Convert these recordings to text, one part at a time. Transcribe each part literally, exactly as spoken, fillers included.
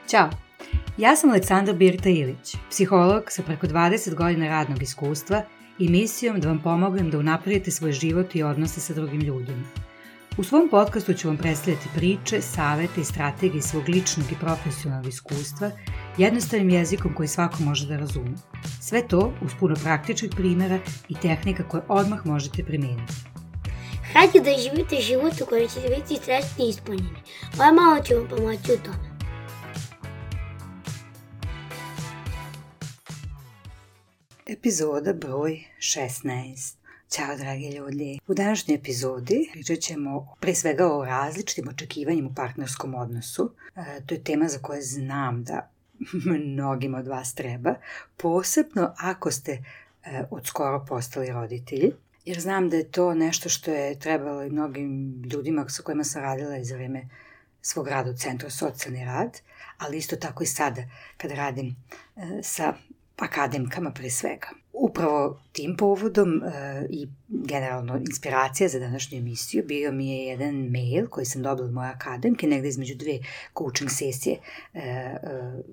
Ćao, ja sam Aleksandra Birta Ilić, psiholog sa preko dvadeset godina radnog iskustva i misijom da vam pomognem da unapredite svoj život i odnose sa drugim ljudima. U svom podcastu ću vam predstavljati priče, savete i strategije svog ličnog i profesionalnog iskustva jednostavnim jezikom koji svako može da razume. Sve to uz puno praktičnih primjera i tehnika koje odmah možete primijeniti. Hajde da živite život u kojem ćete biti srećni i ispunjeni. Moja mama će vam pomoći u tome. Epizoda broj šesnaest. Ćao dragi ljudi. U današnjoj epizodi pričat ćemo pre svega o različitim očekivanjima u partnerskom odnosu. E, to je tema za koju znam da mnogima od vas treba, posebno ako ste e, od skoro postali roditelji. Jer znam da je to nešto što je trebalo i mnogim ljudima sa kojima sam radila iz vreme svog rada u Centru socijalni rad, ali isto tako i sada kada radim e, sa akademkama pre svega. Upravo tim povodom e, i generalno inspiracija za današnju emisiju bio mi je jedan mail koji sam dobila od moje akademke, negde između dve coaching sesije e, e,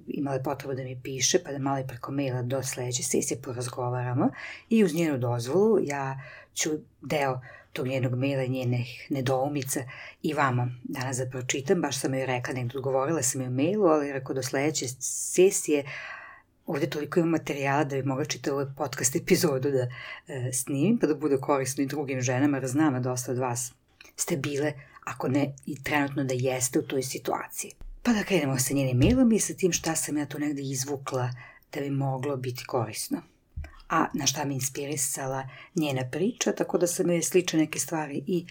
imala je potrebu da mi piše, pa da malo i preko maila do sledeće sesije porazgovaramo i uz njenu dozvolu ja ću deo tog njenog maila i njenih nedoumica i vama danas da pročitam. Baš sam joj rekla, negdje odgovorila sam joj u mailu, ali rekao do sledeće sesije ovdje toliko imam materijala da bi mogla čitati ovaj podcast epizodu da e, snimim, pa da bude korisno i drugim ženama, jer znam da dosta od vas ste bile, ako ne i trenutno da jeste u toj situaciji. Pa da krenemo sa njenim mailom i sa tim šta sam ja tu negdje izvukla da bi moglo biti korisno. A na šta me inspirisala njena priča, tako da sam joj slične neke stvari i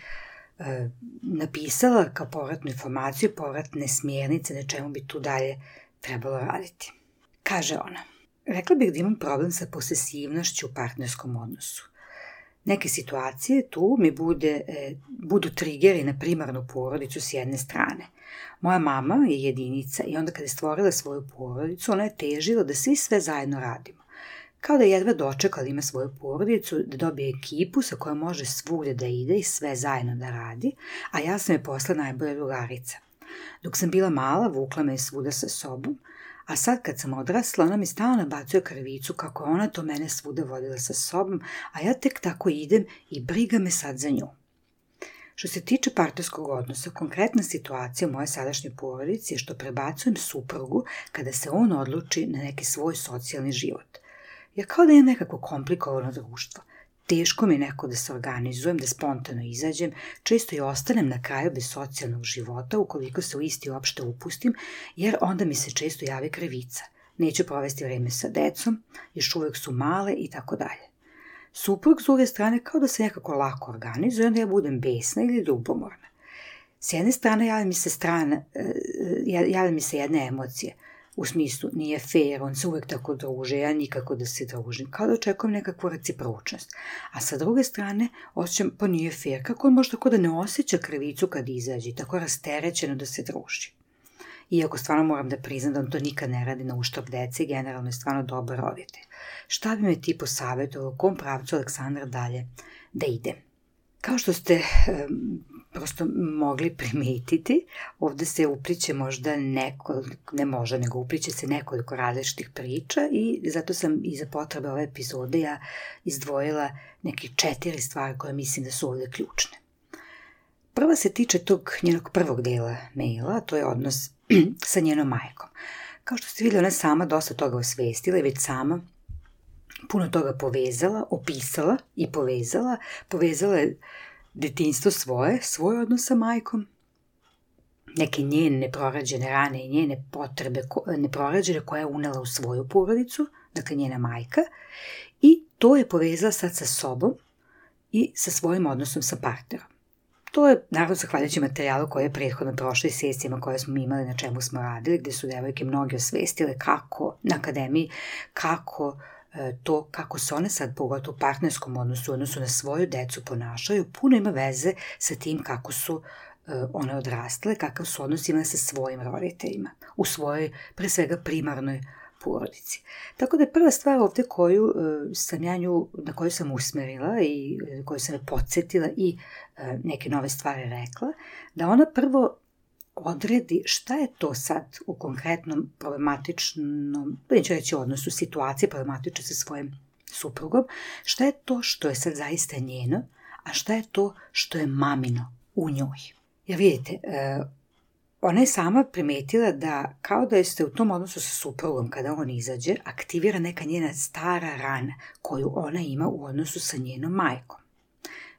e, napisala kao povratnu informaciju, povratne smjernice na čemu bi tu dalje trebalo raditi. Kaže ona, rekla bih da imam problem sa posesivnošću u partnerskom odnosu. Neke situacije tu mi bude, e, budu trigeri na primarnu porodicu s jedne strane. Moja mama je jedinica i onda kada je stvorila svoju porodicu, ona je težila da svi sve zajedno radimo. Kao da je jedva dočekala ima svoju porodicu, da dobije ekipu sa kojom može svugdje da ide i sve zajedno da radi, a ja sam je posle najbolja drugarica. Dok sam bila mala, vukla me je svuda sa sobom, a sad kad sam odrasla, ona mi stalno nabacuje krivicu kako je ona to mene svuda vodila sa sobom, a ja tek tako idem i briga me sad za nju. Što se tiče partnerskog odnosa, konkretna situacija u moje sadašnjoj porodici je što prebacujem suprugu kada se on odluči na neki svoj socijalni život. Ja kao da imam nekako komplikovano društvo. Teško mi je neko da se organizujem, da spontano izađem, često i ostanem na kraju bez socijalnog života ukoliko se u isti uopšte upustim, jer onda mi se često javi krivica. Neću provesti vreme sa decom, još uvijek su male i tako dalje. Suprug s druge strane kao da se nekako lako organizuje, onda ja budem besna ili ljubomorna. S jedne strane javlja mi se, strana, javlja mi se jedna emocija, u smislu nije fair, on se uvijek tako druže, ja nikako da se družim, kao da očekujem nekakvu recipročnost. A sa druge strane, osjećam, pa nije fair, kako on može tako da ne osjeća krivicu kad izađe, tako rasterećeno da se druži. Iako stvarno moram da priznam da on to nikad ne radi na uštrb dece i generalno je stvarno dobar roditelj. Šta bi me ti posavjetovao, u kom pravcu Aleksandra dalje da idem? Kao što ste um, prosto mogli primetiti, ovdje se upliče možda neko, ne možda, nego upliče se nekoliko različitih priča i zato sam i za potrebe ove epizode ja izdvojila neke četiri stvari koje mislim da su ovdje ključne. Prva se tiče tog njenog prvog dela maila, to je odnos sa njenom majkom. Kao što ste vidjeli, ona sama dosta toga osvestila i već sama puno toga povezala, opisala i povezala. Povezala je detinjstvo svoje, svoj odnos sa majkom, neke njene neprorađene rane i njene potrebe neprorađene koje je unela u svoju porodicu, dakle njena majka, i to je povezala sad sa sobom i sa svojim odnosom sa partnerom. To je naravno zahvaljujući materijalu koji je prethodno prošli sesijama koje smo imali, na čemu smo radili, gdje su devojke mnogi osvestile kako na akademiji, kako to kako se one sad pogotovo u partnerskom odnosu, odnosu na svoju decu ponašaju, puno ima veze sa tim kako su uh, one odrastale, kakav su odnos imale sa svojim roditeljima, u svojoj, pre svega, primarnoj porodici. Tako da je prva stvar ovdje koju uh, sam ja nju, na koju sam usmerila i uh, koju sam je podsjetila i uh, neke nove stvari rekla, da ona prvo odredi šta je to sad u konkretnom problematičnom, neću reći odnosu, situaciji problematične sa svojim suprugom, šta je to što je sad zaista njeno, a šta je to što je mamino u njoj. Jer vidite, ona je sama primetila da kao da jeste u tom odnosu sa suprugom, kada on izađe, aktivira neka njena stara rana koju ona ima u odnosu sa njenom majkom.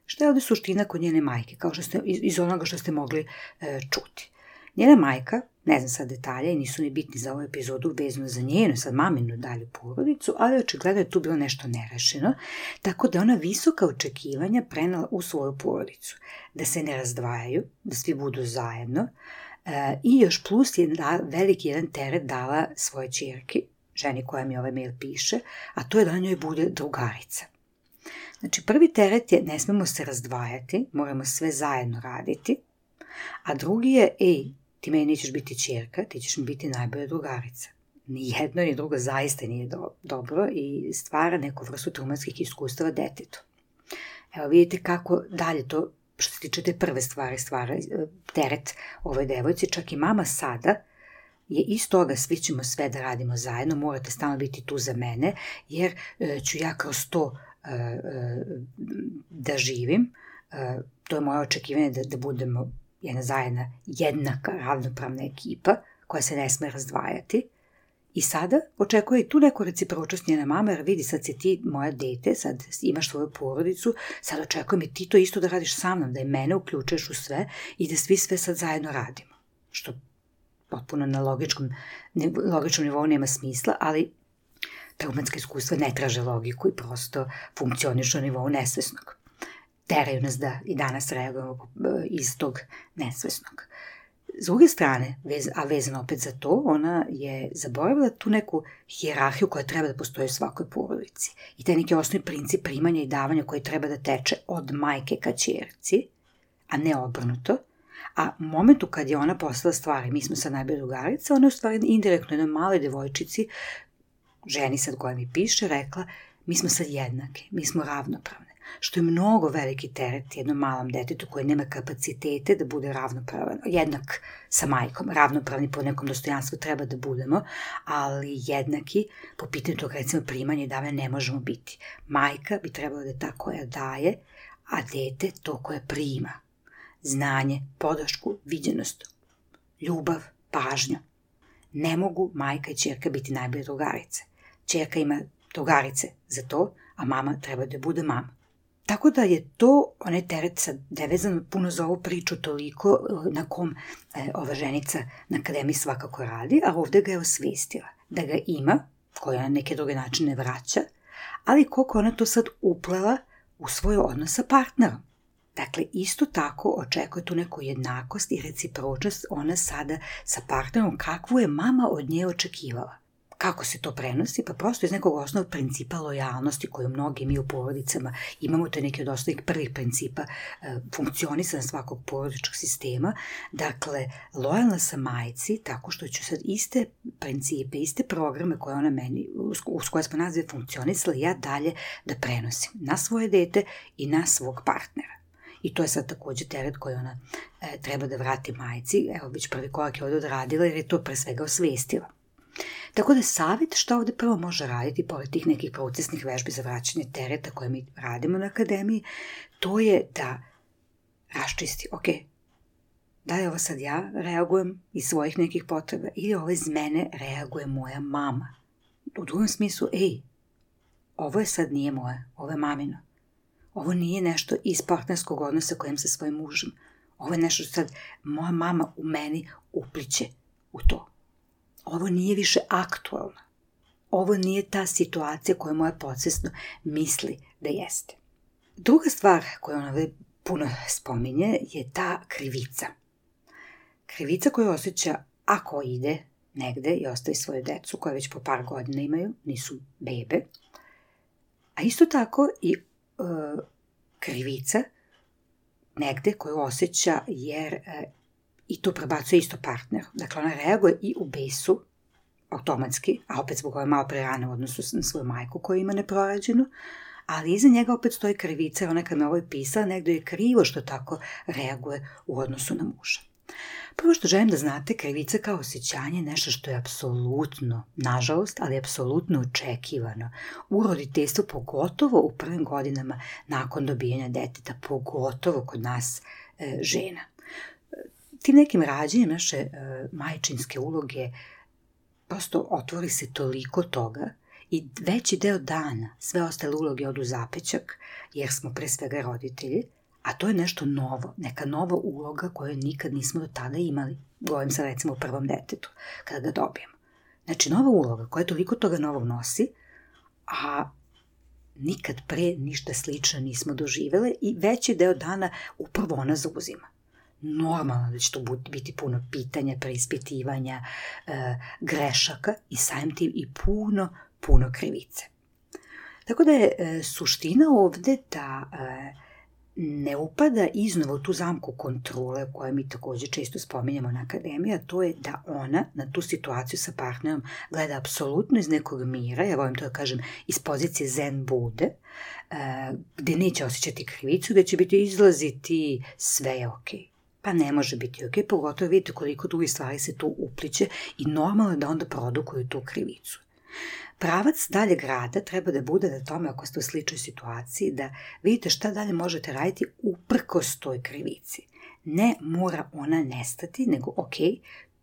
Šta je ovdje suština kod njene majke, kao što ste, iz onoga što ste mogli e, čuti? Njena majka, ne znam sad detalje i nisu ni bitni za ovu epizodu vezano za njenu, sad maminu dalju porodicu, ali očigledno je tu bilo nešto nerešeno, tako da ona visoka očekivanja prenela u svoju porodicu. Da se ne razdvajaju, da svi budu zajedno, e, i još plus je da, veliki jedan teret dala svoje ćerki, ženi koja mi ovaj mail piše, a to je da na njoj bude drugarica. Znači, prvi teret je ne smemo se razdvajati, moramo sve zajedno raditi, a drugi je, ej, ti meni nećeš biti ćerka, ti ćeš mi biti najbolja drugarica. Ni jedno ni drugo zaista nije do, dobro i stvara neku vrstu traumatskih iskustava detetu. Evo vidite kako dalje to, što se tiče te prve stvari, stvara teret ovoj devojci, čak i mama sada je iz toga svi ćemo sve da radimo zajedno, morate stalno biti tu za mene, jer e, ću ja kroz to e, e, da živim, e, to je moje očekivanje da, da budemo jedna zajedna, jednaka, ravnopravna ekipa koja se ne sme razdvajati. I sada očekuje i tu neku recipročnost njena mama, jer vidi, sad si ti moja dete, sad imaš svoju porodicu, sad očekujem i ti to isto da radiš sa mnom, da je mene uključuješ u sve i da svi sve sad zajedno radimo. Što potpuno na logičkom, ne, logičnom nivou nema smisla, ali traumatska iskustva ne traže logiku i prosto funkcionišu na nivou nesvesnog. Teraju nas da i danas reagujemo iz tog nesvesnog. S druge strane, vez, a vezano opet za to, ona je zaboravila tu neku hijerarhiju koja treba da postoji u svakoj porodici. I taj neki osnovni princip primanja i davanja koji treba da teče od majke ka ćerci, a ne obrnuto. A u momentu kad je ona postala stvari, mi smo sad najbolje drugarice, ona je u stvari indirektno jednoj maloj devojčici, ženi sad koja mi piše, rekla, mi smo sad jednake, mi smo ravnopravne. Što je mnogo veliki teret jednom malom detetu koji nema kapacitete da bude ravnopravan, jednak sa majkom, ravnopravni po nekom dostojanstvu treba da budemo, ali jednaki po pitanju tog recimo primanja i davanja ne možemo biti. Majka bi trebala da je ta koja daje, a dete to koje prima. Znanje, podršku, viđenost, ljubav, pažnju. Ne mogu majka i ćerka biti najbolje drugarice. Ćerka ima drugarice za to, a mama treba da bude mama. Tako da je to, onaj teret sad nevezano puno za ovu priču toliko na kom e, ova ženica na akademiji svakako radi, a ovdje ga je osvestila. Da ga ima, koja na neke druge načine vraća, ali koliko ona to sad uplela u svoj odnos sa partnerom. Dakle, isto tako očekuje tu neku jednakost i recipročnost ona sada sa partnerom kakvu je mama od nje očekivala. Kako se to prenosi? Pa prosto iz nekog osnovnog principa lojalnosti koju mnogi mi u porodicama imamo, to je neki od osnovnih prvih principa e, funkcionisanja svakog porodičkog sistema. Dakle, lojalna sam majci tako što ću sad iste principe, iste programe koje ona meni, uz koje smo nazve funkcionisali, ja dalje da prenosim na svoje dete i na svog partnera. I to je sad također teret koji ona e, treba da vrati majci. Evo, već prvi korak je ovdje odradila jer je to pre svega osvestila. Tako da savjet šta ovdje prvo može raditi, pored tih nekih procesnih vežbi za vraćanje tereta koje mi radimo na akademiji, to je da raščisti, ok, da li ovo sad ja reagujem iz svojih nekih potreba ili ovo iz mene reaguje moja mama. U drugom smislu, ej, ovo je sad nije moje, ovo je mamino. Ovo nije nešto iz partnerskog odnosa kojem sa svojim mužem. Ovo je nešto što sad moja mama u meni upliće u to. Ovo nije više aktualno. Ovo nije ta situacija koju moja podsvesno misli da jeste. Druga stvar koju ona ovdje puno spominje je ta krivica. Krivica koju osjeća ako ide negde i ostavi svoju decu koje već po par godina imaju, nisu bebe. A isto tako i e, krivica negde koju osjeća jer e, i to prebacuje isto partneru. Dakle, ona reaguje i u besu, automatski, a opet zbog ove malo prerane u odnosu na svoju majku koju ima neprorađenu, ali iza njega opet stoji krivica, ona kad me ovo je pisala, negdje je krivo što tako reaguje u odnosu na muža. Prvo što želim da znate, krivica kao osjećanje je nešto što je apsolutno, nažalost, ali apsolutno očekivano u roditeljstvu, pogotovo u prvim godinama nakon dobijanja deteta, pogotovo kod nas e, žena. Tim nekim rađenjem naše e, majčinske uloge prosto otvori se toliko toga i veći deo dana sve ostale uloge odu zapećak, jer smo pre svega roditelji, a to je nešto novo, neka nova uloga koju nikad nismo do tada imali. Govorim se recimo u prvom detetu, kada ga dobijemo. Znači, nova uloga koja toliko toga novog nosi, a nikad pre ništa slično nismo doživele i veći deo dana upravo ona zauzima. Normalno da će to biti puno pitanja, preispitivanja, e, grešaka i samim tim i puno, puno krivice. Tako da je e, suština ovde da e, ne upada iznova u tu zamku kontrole koju mi takođe često spominjamo na akademiji, a to je da ona na tu situaciju sa partnerom gleda apsolutno iz nekog mira, ja volim to da kažem iz pozicije zen bude, gde neće osjećati krivicu, gde će biti izlaziti sve je okej. Pa ne može biti okej, pogotovo vidite koliko drugih stvari se tu upliće i normalno je da onda produkuju tu krivicu. Pravac daljeg rada treba da bude na tome, ako ste u sličnoj situaciji, da vidite šta dalje možete raditi uprkos toj krivici. Ne mora ona nestati, nego ok,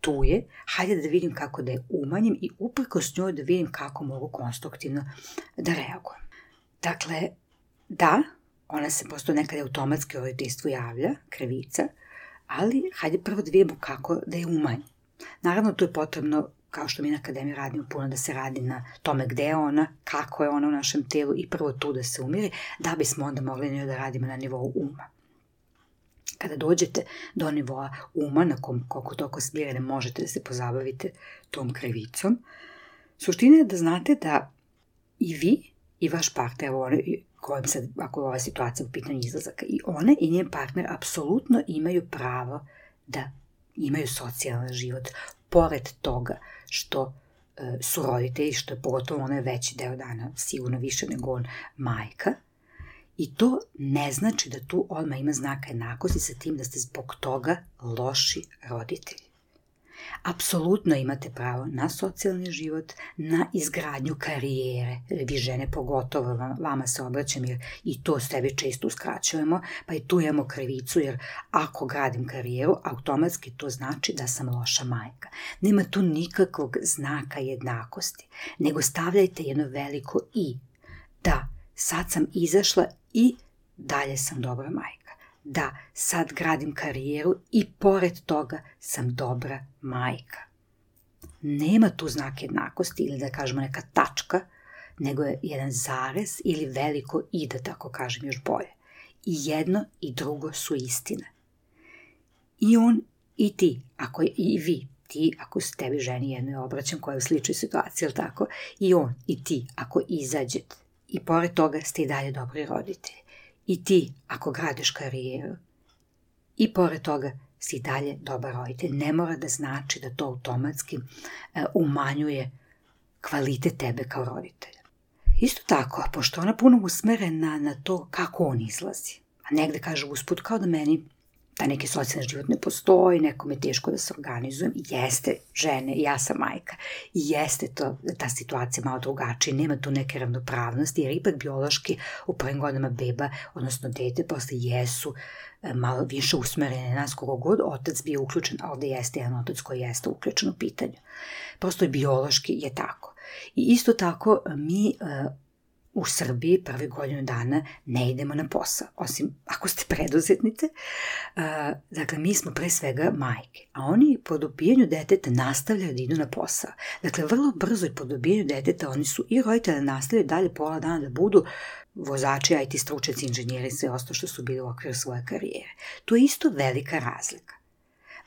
tu je, hajde da vidim kako da je umanjim i uprkos njoj da vidim kako mogu konstruktivno da reagujem. Dakle, da, ona se prosto nekad automatski u roditeljstvu javlja, krivica, ali hajde prvo da vidimo kako da je umanjim. Naravno, tu je potrebno, kao što mi na akademiji radimo puno, da se radi na tome gde je ona, kako je ona u našem telu i prvo tu da se umiri, da bismo onda mogli njoj da radimo na nivou uma. Kada dođete do nivoa uma, na kom koliko toliko smirene možete da se pozabavite tom krivicom, suština je da znate da i vi i vaš partner, evo one, kojim sad, ako je ova situacija u pitanju izlazaka, i one i njen partner apsolutno imaju pravo da imaju socijalan život, pored toga što e, su roditelji, što je pogotovo onaj veći deo dana, sigurno više nego on, majka. I to ne znači da tu odmah ima znaka jednakosti sa tim da ste zbog toga loši roditelji. Apsolutno imate pravo na socijalni život, na izgradnju karijere, vi žene pogotovo, vama se obraćam jer i to sebi često uskraćujemo, pa i tu imamo krivicu jer ako gradim karijeru, automatski to znači da sam loša majka. Nema tu nikakvog znaka jednakosti, nego stavljajte jedno veliko i, da sad sam izašla i dalje sam dobra majka. Da, sad gradim karijeru i pored toga sam dobra majka. Nema tu znak jednakosti ili da kažemo neka tačka, nego je jedan zarez ili veliko i, da tako kažem još bolje. I jedno i drugo su istine. I on i ti, ako je, i vi, ti ako se tebi ženi jednoj obraćam koja je u sličnoj situaciji, ili tako, i on i ti ako izađete i pored toga ste i dalje dobri roditelji. I ti, ako gradiš karijeru, i pored toga si dalje dobar roditelj. Ne mora da znači da to automatski uh, umanjuje kvalitet tebe kao roditelja. Isto tako, pošto ona puno usmerena na to kako on izlazi, a negde kaže usput kao da meni da neki socijalni život ne postoji, nekom je teško da se organizujem, jeste žene, ja sam majka, i jeste to, ta situacija malo drugačija, nema tu neke ravnopravnosti, jer ipak biološki u prvim godinama beba, odnosno dete, posle jesu malo više usmerene na nas, kogo god otac bio uključen, a ovde jeste jedan otac koji jeste uključen u pitanju. Prosto i biološki je tako. I isto tako mi u Srbiji prvi godinu dana ne idemo na posao, osim ako ste preduzetnice. Uh, dakle, mi smo pre svega majke, a oni po dobijanju deteta nastavljaju da idu na posao. Dakle, vrlo brzo i po dobijanju deteta oni su i roditelji nastavljaju dalje pola dana da budu vozači, I T stručnjaci, inženjeri i sve ostalo što su bili u okviru svoje karijere. To je isto velika razlika.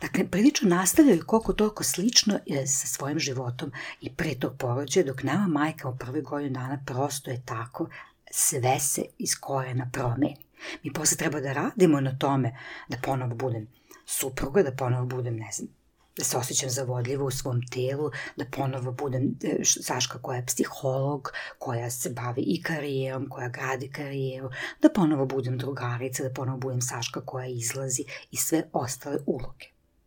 Dakle, prilično nastavljaju koliko toliko slično sa svojim životom i pre tog porođaja, dok nama majka u prvoj godinu dana prosto je tako, sve se iz korena promeni. Mi posle treba da radimo na tome da ponovo budem supruga, da ponovo budem, ne znam, da se osjećam zavodljivo u svom telu, da ponovo budem Saška koja je psiholog, koja se bavi i karijerom, koja gradi karijeru, da ponovo budem drugarica, da ponovo budem Saška koja izlazi i sve ostale uloge.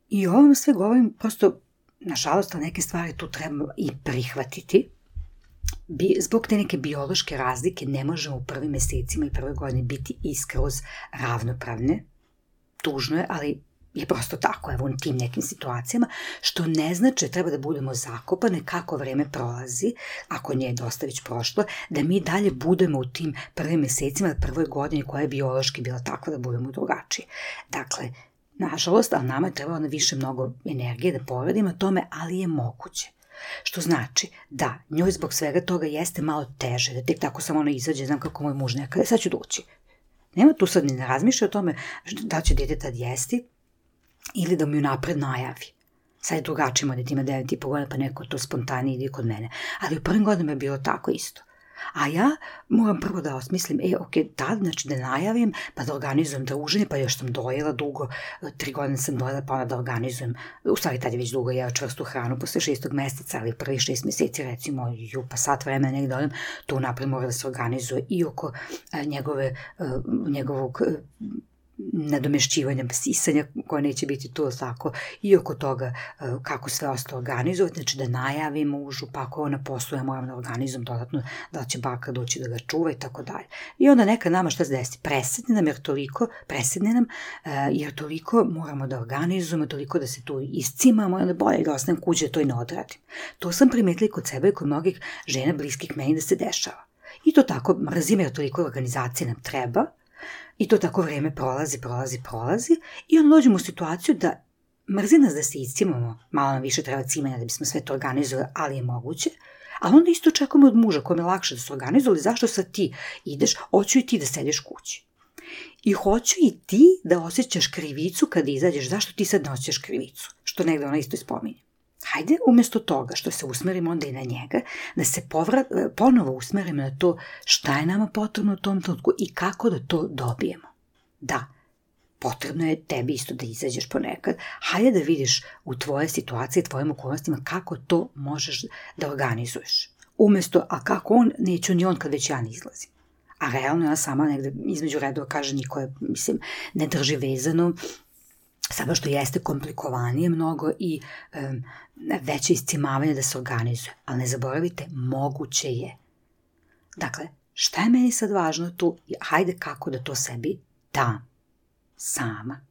I ovo vam sve govorim, prosto, nažalost, neke stvari tu treba i prihvatiti. Bi, zbog te neke biološke razlike ne možemo u prvim mesecima i prvoj godini biti iskroz ravnopravne. Tužno je, ali je prosto tako, evo u tim nekim situacijama, što ne znači da treba da budemo zakopane kako vreme prolazi, ako nije dosta već prošlo, da mi dalje budemo u tim prvim mesecima, prvoj godini koja je biološki bila takva da budemo drugačiji. Dakle, nažalost, ali nama je trebalo na više mnogo energije da poradimo tome, ali je moguće. Što znači da njoj zbog svega toga jeste malo teže, da tek tako samo ona izađe, znam kako moj muž nekada, sad ću doći. Nema tu sad ni ne razmišlja o tome da će dete tad jesti ili da mu ju napred najavi. Sad je drugačije, da ti ima devet i po godina pa neko to spontanije ide kod mene. Ali u prvim godinama je bilo tako isto. A ja moram prvo da osmislim, e, ok, tad, znači da najavim, pa da organizujem druženje, pa još sam dojela dugo, tri godine sam dojela, pa onda da organizujem, u stvari tad je već dugo jeo čvrstu hranu posle šestog meseca, ali prvi šest meseci, recimo, ju, pa sat vremena negdje dojem, to napred mora da se organizuje i oko a, njegove, a, njegovog a, nadomešćivanja, sisanja koje neće biti tu, tako, i oko toga kako sve ostalo organizovati, znači da najavim mužu, pa ako ona posluje, moram da organizujem dodatno, da će baka doći da ga čuva i tako dalje. I onda neka nama šta se desi, presedne nam, jer toliko, presedne nam, jer toliko moramo da organizujemo, toliko da se tu iscimamo, i onda bolje da ostanem kući da to i ne odradim. To sam primetila kod sebe i kod mnogih žena bliskih meni da se dešava. I to tako, mrzim, jer toliko organizacije nam treba. I to tako vreme prolazi, prolazi, prolazi i onda dođemo u situaciju da mrzi nas da se iscimamo, malo nam više treba cimanja da bismo sve to organizovali, ali je moguće, ali onda isto očekujemo od muža kojem je lakše da se organizuje, zašto sad ti ideš, hoću i ti da sediš kući. I hoću i ti da osjećaš krivicu kada izađeš, zašto ti sad ne osjećaš krivicu, što negde ona isto ispominje. Hajde, umjesto toga što se usmerimo onda i na njega, da se povrat, ponovo usmerimo na to šta je nama potrebno u tom trenutku i kako da to dobijemo. Da, potrebno je tebi isto da izađeš ponekad. Hajde da vidiš u tvoje situacije, tvojim okolnostima kako to možeš da organizuješ. Umjesto, a kako on, neću ni on kad već ja ne izlazim. A realno ja sama negde između redova kaže niko je, mislim, ne drži vezano, samo što jeste komplikovanije mnogo i um, veće iscimavanje da se organizuje. Ali ne zaboravite, moguće je. Dakle, šta je meni sad važno tu? Hajde kako da to sebi dam. Sama.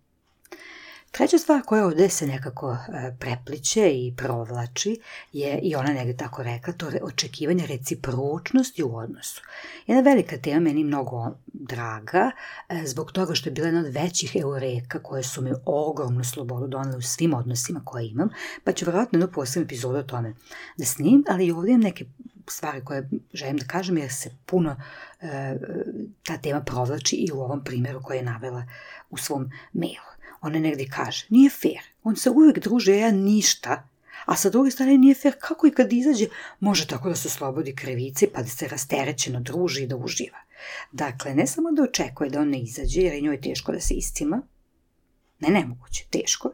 Treća stvar koja ovdje se nekako prepliče i provlači je, i ona negdje tako rekla, to je očekivanje recipročnosti u odnosu. Jedna velika tema, meni mnogo draga, zbog toga što je bila jedna od većih eureka koje su mi ogromnu slobodu donele u svim odnosima koje imam, pa ću vjerojatno jednu posebnu epizodu o tome da snimim, ali i ovdje imam neke stvari koje želim da kažem jer se puno e, ta tema provlači i u ovom primjeru koji je navela u svom mailu. Ona negdje kaže, nije fair, on se uvijek druži, a ja ništa, a sa druge strane nije fair kako i kad izađe može tako da se oslobodi krivice pa da se rasterećeno druži i da uživa. Dakle, ne samo da očekuje da on ne izađe jer je njoj teško da se iscima, ne nemoguće, teško,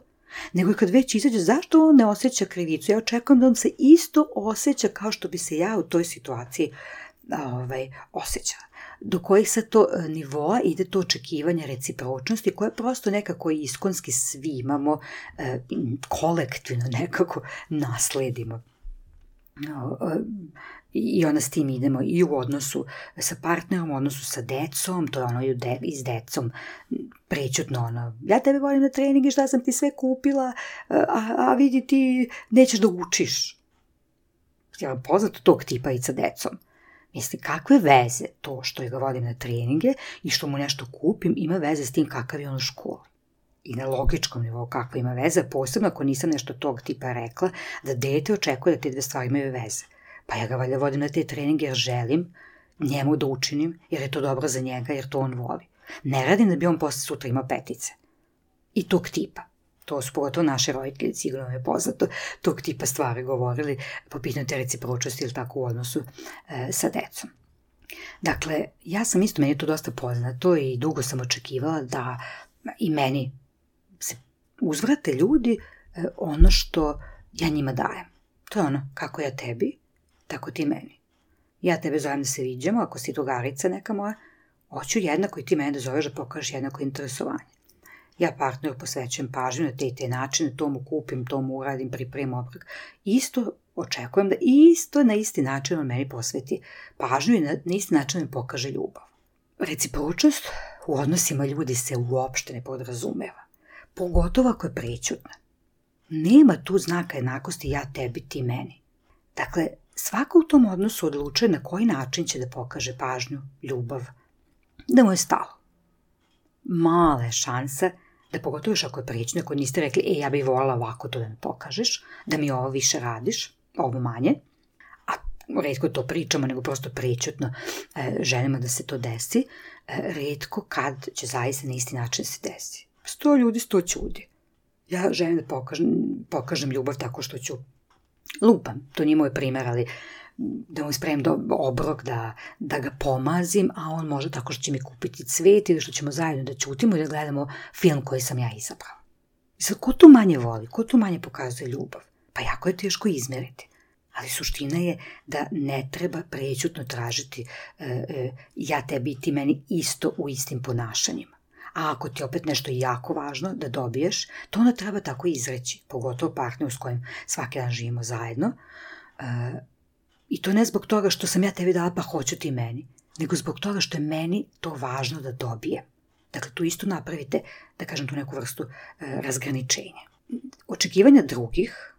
nego i kad već izađe, zašto on ne osjeća krivicu? Ja očekujem da on se isto osjeća kao što bi se ja u toj situaciji ovaj, osjećala. Do kojih sad to nivoa ide to očekivanje recipročnosti koje prosto nekako iskonski svi imamo, e, kolektivno nekako nasledimo. No, e, I onda s tim idemo i u odnosu sa partnerom, u odnosu sa decom, to je ono i, de, i s decom prečutno ono, ja tebe volim na treningi, šta sam ti sve kupila, a, a vidi ti nećeš da učiš. Ja vam poznato tog tipa i sa decom. Mislim, kakve veze to što ga vodim na treninge i što mu nešto kupim ima veze s tim kakav je on u školi. I na logičkom nivou kakva ima veze, posebno ako nisam nešto tog tipa rekla, da dete očekuje da te dve stvari imaju veze. Pa ja ga valjda vodim na te treninge jer želim njemu da učinim, jer je to dobro za njega, jer to on voli. Ne radim da bi on posle sutra imao petice. I tog tipa. To su pogotovo naše roditelji, sigurno je poznato, tog tipa stvari govorili po pitanju te recipročnosti ili tako u odnosu e, sa decom. Dakle, ja sam isto, meni je to dosta poznato i dugo sam očekivala da i meni se uzvrate ljudi e, ono što ja njima dajem. To je ono, kako ja tebi, tako ti meni. Ja tebe zovem da se viđamo, ako si drugarica neka moja, hoću jednako i ti mene da zoveš da pokažeš jednako interesovanje. ja partneru posvećujem pažnju na te i te načine, to mu kupim, to mu uradim, pripremim obrok. Isto očekujem da isto na isti način on meni posveti pažnju i na, na isti način mi pokaže ljubav. Recipročnost u odnosima ljudi se uopšte ne podrazumeva, pogotovo ako je prećutna. Nema tu znaka jednakosti ja tebi, ti meni. Dakle, svako u tom odnosu odlučuje na koji način će da pokaže pažnju, ljubav, da mu je stalo. Mala je šansa da pogotovo još ako je prećutna, ako niste rekli, e, ja bih voljela ovako to da mi pokažeš, da mi ovo više radiš, ovo manje, a retko to pričamo, nego prosto prećutno e, želimo da se to desi, e, retko kad će zaista na isti način se desi. Sto ljudi, sto ćudi. Ja želim da pokažem, pokažem ljubav tako što ću lupam, to nije moj primjer, ali da mu spremim do, obrok, da, da ga pomazim, a on može tako što će mi kupiti cvet ili što ćemo zajedno da ćutimo i da gledamo film koji sam ja izabrala. I sad, ko tu manje voli, ko tu manje pokazuje ljubav? Pa jako je teško izmeriti. Ali suština je da ne treba prećutno tražiti e, e, ja tebi i ti meni isto u istim ponašanjima. A ako ti opet nešto jako važno da dobiješ, to onda treba tako izreći, pogotovo partneru s kojim svaki dan živimo zajedno. E, I to ne zbog toga što sam ja tebi dala pa hoću ti meni, nego zbog toga što je meni to važno da dobijem. Dakle, tu isto napravite, da kažem, tu neku vrstu e, razgraničenja. Očekivanja drugih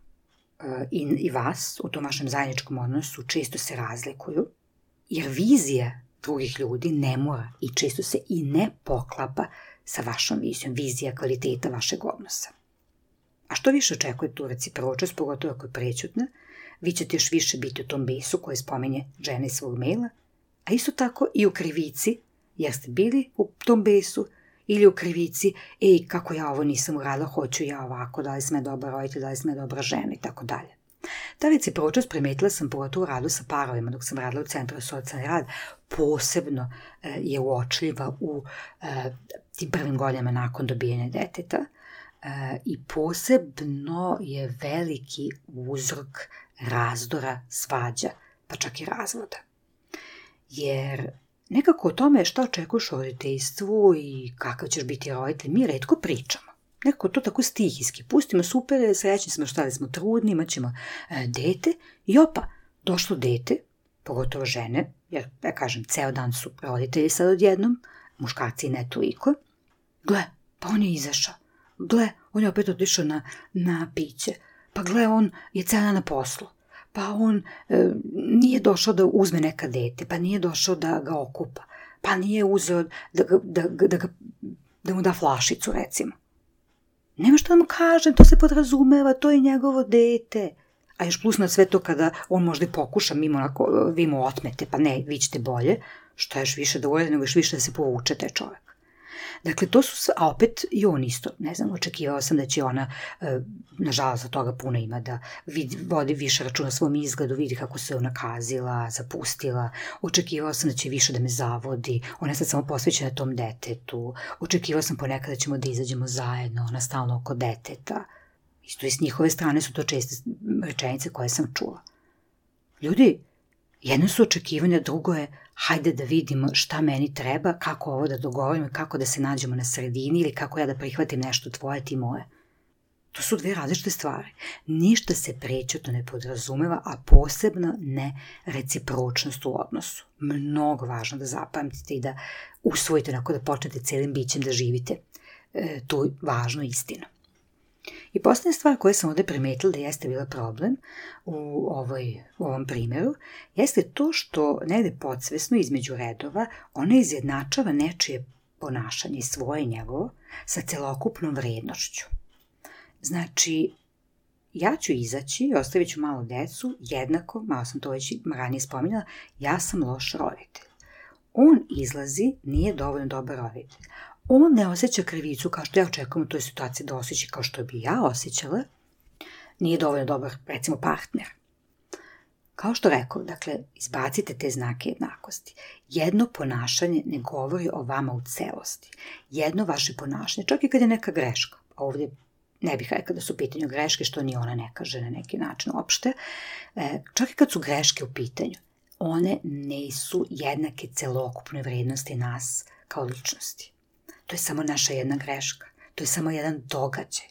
e, i, i vas u tom vašem zajedničkom odnosu često se razlikuju, jer vizija drugih ljudi ne mora i često se i ne poklapa sa vašom vizijom, vizija kvaliteta vašeg odnosa. A što više očekujete tu recipročnost, pogotovo ako je prećutna, vi ćete još više biti u tom besu koje spominje žena iz svog maila, a isto tako i u krivici, jer ste bili u tom besu, ili u krivici, ej, kako ja ovo nisam uradila, hoću ja ovako, da li sam ja dobra roditelj, da li sam ja dobra žena i tako dalje. Ta recipročnost primetila sam pogotovo u radu sa parovima, dok sam radila u Centru za socijalni rad, posebno e, je uočljiva u e, tim prvim godinama nakon dobijanja deteta e, i posebno je veliki uzrok razdora, svađa, pa čak i razvoda. Jer nekako o tome šta očekuješ o roditeljstvu i kakav ćeš biti roditelj, mi retko pričamo. Nekako to tako stihijski. Pustimo, super, srećni smo šta da smo trudni, imat ćemo e, dete i opa, došlo dete, pogotovo žene, jer, ja kažem, ceo dan su roditelji sad odjednom, muškarci ne toliko. Gle, pa on je izašao. Gle, on je opet otišao na, na piće. Pa gle, on je ceo dan na poslu. Pa on e, nije došao da uzme neka dete, pa nije došao da ga okupa, pa nije uzeo da, da, da, da, da mu da flašicu, recimo. Nema što da mu kažem, to se podrazumeva, to je njegovo dete. A još plus na sve to kada on možda i pokuša, mimo onako, vi mu otmete, pa ne, vi ćete bolje, što je još više da urede, nego još više da se povuče taj čovjek. Dakle, to su sve, a opet i on isto, ne znam, očekivao sam da će ona, e, nažalost za toga puno ima, da vidi, vodi više računa svom izgledu, vidi kako se ona kazila, zapustila, očekivao sam da će više da me zavodi, ona je sad samo posvećena tom detetu, očekivao sam ponekad da ćemo da izađemo zajedno, ona stalno oko deteta. Isto i s njihove strane su to česte rečenice koje sam čula. Ljudi, jedno su očekivanja, drugo je hajde da vidimo šta meni treba, kako ovo da dogovorimo, kako da se nađemo na sredini ili kako ja da prihvatim nešto tvoje, ti moje. To su dve različite stvari. Ništa se prećutno ne podrazumeva, a posebno ne recipročnost u odnosu. Mnogo važno da zapamtite i da usvojite, onako da počnete celim bićem da živite e, tu važnu istinu. I posljednja stvar koju sam ovdje primetila da jeste bila problem u, ovoj, u ovom primjeru, jeste to što negde podsvesno između redova ona izjednačava nečije ponašanje, svoje i njegovo, sa celokupnom vrednošću. Znači, ja ću izaći, ostavit ću malo decu, jednako, malo sam to već ranije spominjala, ja sam loš roditelj. On izlazi, nije dovoljno dobar roditelj. On ne osjeća krivicu kao što ja očekujem u toj situaciji da osjeća kao što bi ja osjećala, nije dovoljno dobar, recimo, partner. Kao što rekao, dakle, izbacite te znake jednakosti. Jedno ponašanje ne govori o vama u celosti. Jedno vaše ponašanje, čak i kad je neka greška, ovdje ne bih rekla da su u pitanju greške, što ni ona ne kaže na neki način uopšte, čak i kad su greške u pitanju, one nisu jednake celokupnoj vrednosti nas kao ličnosti. To je samo naša jedna greška. to je samo jedan događaj.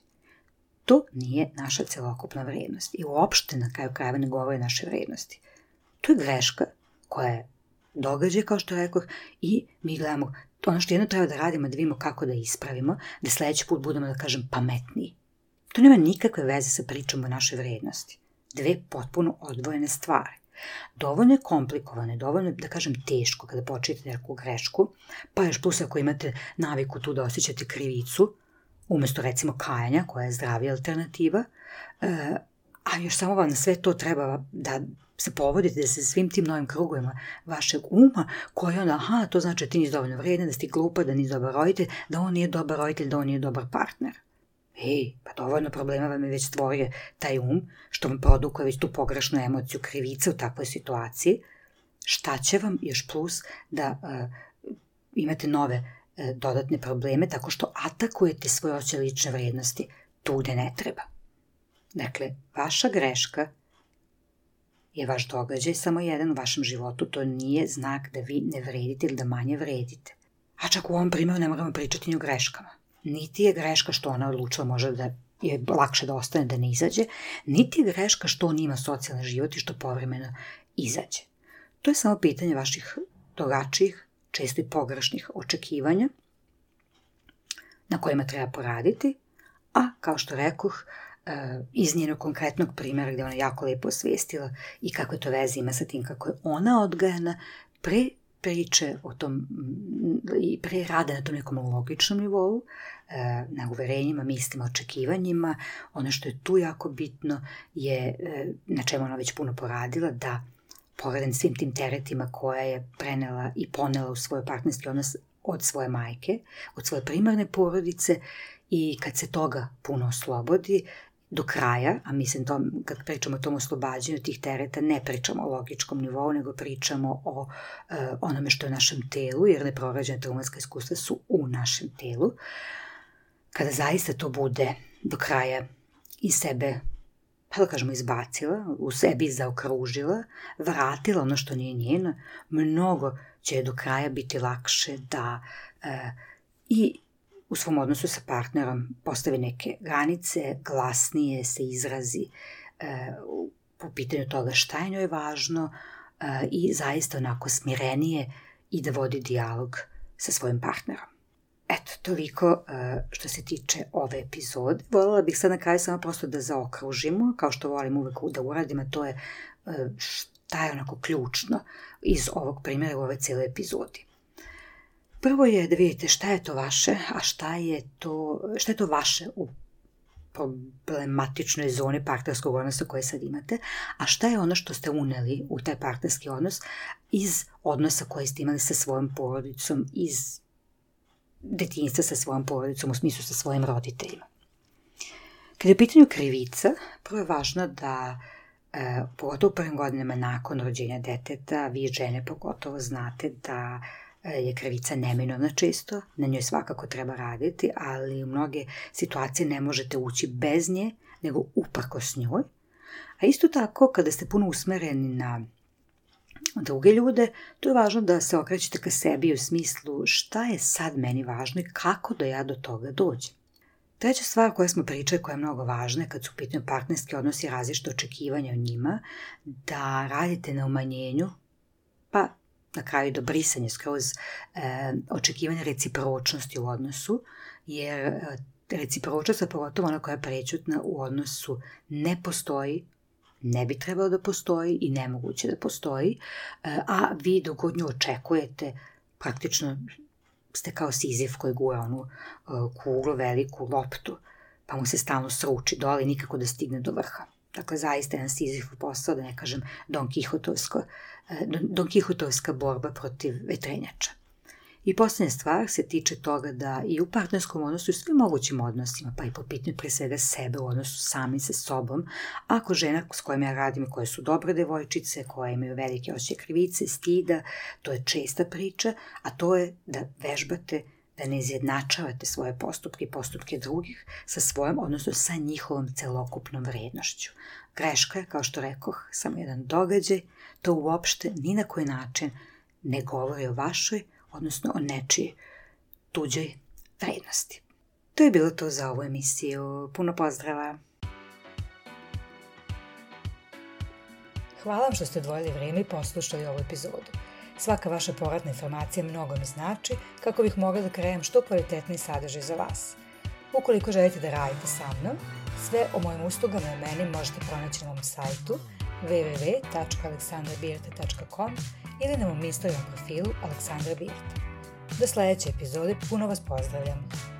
To nije naša celokupna vrednost i uopšte na kraju krajeva ne govori naše vrednosti. To je greška koja je događaj, kao što rekoh, i mi gledamo ono što jedno treba da radimo, da vidimo kako da ispravimo, da sledeći put budemo, da kažem, pametniji. To nema nikakve veze sa pričom o našoj vrednosti. Dve potpuno odvojene stvari. Dovoljno je komplikovane, dovoljno je, da kažem, teško kada počinjete neku grešku, pa još plus ako imate naviku tu da osjećate krivicu, umesto recimo kajanja, koja je zdravija alternativa, a još samo vam na sve to treba da se povodite, da se svim tim novim krugovima vašeg uma, koji onda, aha, to znači da ti nisi dovoljno vredan, da si ti glupa, da nisi dobar roditelj, da on nije dobar roditelj, da on nije dobar partner. Ej, pa dovoljno problema vam je već stvorio taj um, što vam produkuje već tu pogrešnu emociju krivice u takvoj situaciji. Šta će vam još plus da uh, imate nove uh, dodatne probleme tako što atakujete svoje osjećaje lične vrednosti tu gde ne treba. Dakle, vaša greška je vaš događaj samo jedan u vašem životu, to nije znak da vi ne vredite ili da manje vredite. A čak u ovom primjeru ne moramo pričati ni o greškama. Niti je greška što ona odlučila možda da je lakše da ostane, da ne izađe, niti je greška što on ima socijalni život i što povremeno izađe. To je samo pitanje vaših drugačijih, često i pogrešnih očekivanja na kojima treba poraditi, a kao što rekoh, iz njenog konkretnog primjera gde ona jako lepo osvestila i kakve to veze ima sa tim kako je ona odgajana, pre priče o tom i pre rada na tom nekom logičnom nivou, na uverenjima, mislima, očekivanjima. Ono što je tu jako bitno je, na čemu ona već puno poradila, da pored svim tim teretima koje je prenela i ponela u svoj partnerski odnos od svoje majke, od svoje primarne porodice, i kad se toga puno oslobodi do kraja, a mislim to, kad pričamo o tom oslobađanju tih tereta, ne pričamo o logičkom nivou, nego pričamo o uh, onome što je u našem telu, jer neprorađena traumatska iskustva su u našem telu. Kada zaista to bude do kraja iz sebe, pa da kažemo, izbacila, u sebi zaokružila, vratila ono što nije njeno, mnogo će do kraja biti lakše da uh, i u svom odnosu sa partnerom postavi neke granice, glasnije se izrazi e, po pitanju toga šta je njoj važno e, i zaista onako smirenije i da vodi dijalog sa svojim partnerom. Eto, toliko e, što se tiče ove epizode. Voljela bih sad na kraju samo prosto da zaokružimo, kao što volim uvek da uradim, a to je e, šta je onako ključno iz ovog primjera u ove cijele epizodi. Prvo je da vidite šta je to vaše, a šta je to, šta je to vaše u problematičnoj zoni partnerskog odnosa koje sad imate, a šta je ono što ste uneli u taj partnerski odnos iz odnosa koje ste imali sa svojom porodicom, iz detinjstva sa svojom porodicom, u smislu sa svojim roditeljima. Kada je u pitanju krivica, prvo je važno da, e, pogotovo u prvim godinama nakon rođenja deteta, vi žene pogotovo znate da je krivica neminovna često, na njoj svakako treba raditi, ali u mnoge situacije ne možete ući bez nje, nego uprkos njoj. A isto tako, kada ste puno usmereni na druge ljude, to je važno da se okrećete ka sebi u smislu šta je sad meni važno i kako da ja do toga dođem. Treća stvar koja smo pričali, koja je mnogo važna kad su u pitanju partnerski odnosi i različite očekivanja o njima, da radite na umanjenju, pa na kraju do brisanja skroz e, očekivanja recipročnosti u odnosu, jer e, recipročnost, a pogotovo ona koja je prečutna u odnosu, ne postoji, ne bi trebalo da postoji i nemoguće da postoji, e, a vi dok god nju očekujete, praktično ste kao Sizif koji gura onu e, kuglu, veliku loptu, pa mu se stalno sruči dole i nikako da stigne do vrha. Dakle, zaista jedan Sizifov posao, da ne kažem Don Kihotovsko, Don Kihotovska borba protiv vetrenjača. I posljednja stvar se tiče toga da i u partnerskom odnosu i svim mogućim odnosima, pa i po pitanju pre svega sebe u odnosu sami sa sobom, ako žena s kojima ja radim, koje su dobre devojčice, koje imaju velike osjećaje krivice, stida, to je česta priča, a to je da vežbate da ne izjednačavate svoje postupke i postupke drugih sa svojom, odnosno sa njihovom celokupnom vrednošću. Greška je, kao što rekoh, samo jedan događaj, to uopšte ni na koji način ne govori o vašoj, odnosno o nečijoj tuđoj vrednosti. To je bilo to za ovu emisiju. Puno pozdrava! Hvala vam što ste odvojili vrijeme i poslušali ovu epizodu. Svaka vaša povratna informacija mnogo mi znači kako bih mogla da krenem što kvalitetniji sadržaj za vas. Ukoliko želite da radite sa mnom, sve o mojim uslugama i o meni možete pronaći na mom sajtu w w w tačka aleksandra birta tačka com ili na mom Instagram profilu Aleksandra Birta. Do sljedeće epizode puno vas pozdravljam!